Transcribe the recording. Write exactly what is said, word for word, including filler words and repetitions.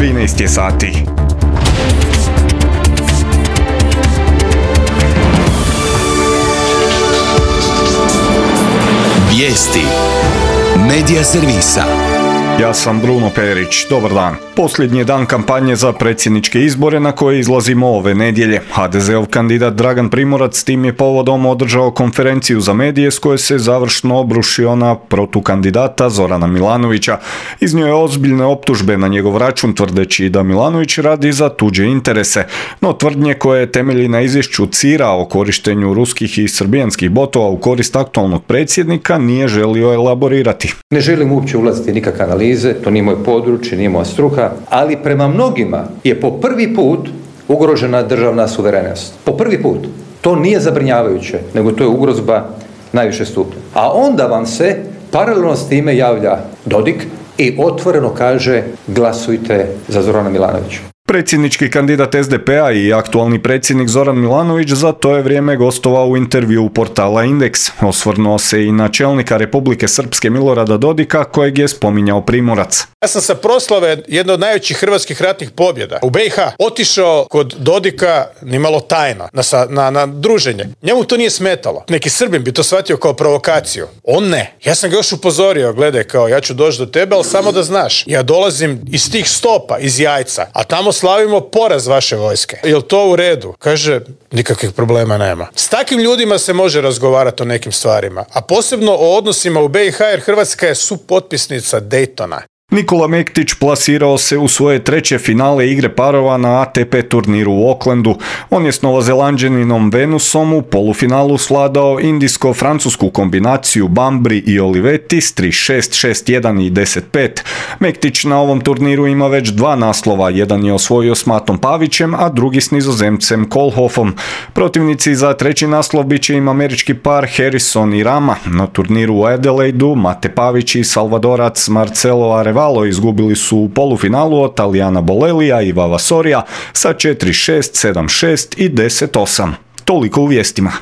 trinaest je sati. Vijesti Medija servisa. Ja sam Bruno Perić, dobar dan. Posljednji je dan kampanje za predsjedničke izbore na koje izlazimo ove nedjelje. ha de zeov kandidat Dragan Primorac s tim je povodom održao konferenciju za medije s koje se završno obrušio na protukandidata Zorana Milanovića. Iznio je ozbiljne optužbe na njegov račun tvrdeći da Milanović radi za tuđe interese, no tvrdnje koje temelji na izvješću cira o korištenju ruskih i srbijanskih botova u korist aktualnog predsjednika nije želio elaborirati. Ne želim uopće ulaziti nikakve analize, to nije moj područje, nije moja struka, ali prema mnogima je po prvi put ugrožena državna suverenost. Po prvi put. To nije zabrinjavajuće, nego to je ugrozba najviše stupnja. A onda vam se paralelno s time javlja Dodik i otvoreno kaže glasujte za Zorana Milanovića. Predsjednički kandidat es de pe a i aktualni predsjednik Zoran Milanović za to je vrijeme gostovao u intervjuu portala Indeks. Osvrnuo se i na čelnika Republike Srpske Milorada Dodika kojeg je spominjao Primorac. Ja sam sa proslave jedne od najvećih hrvatskih ratnih pobjeda u be i ha otišao kod Dodika nimalo tajno na, na, na druženje. Njemu to nije smetalo. Neki Srbin bi to shvatio kao provokaciju. On ne. Ja sam ga još upozorio, gledaj, kao ja ću doći do tebe, ali samo da znaš. Ja dolazim iz tih stopa, iz Jajca, a tamo slavimo poraz vaše vojske. Jel to u redu? Kaže, nikakvih problema nema. S takvim ljudima se može razgovarati o nekim stvarima, a posebno o odnosima u be i ha jer Hrvatska je supotpisnica Daytona. Nikola Mektić plasirao se u svoje treće finale igre parova na a te pe turniru u Aucklandu. On je s Novozelanđaninom Venusom u polufinalu svladao indijsko-francusku kombinaciju Bambri i Olivetti s tri šest, šest jedan i deset pet. Mektić na ovom turniru ima već dva naslova, jedan je osvojio s Matom Pavićem, a drugi s Nizozemcem Koolhoffom. Protivnici za treći naslov bit će im američki par Harrison i Rama. Na turniru u Adelaidu Mate Pavić i Salvadorac Marcelo Arevalo izgubili su u polufinalu od Talijana Bolelija i Vavasorija sa četiri šest, sedam šest i deset osam. Toliko u vijestima.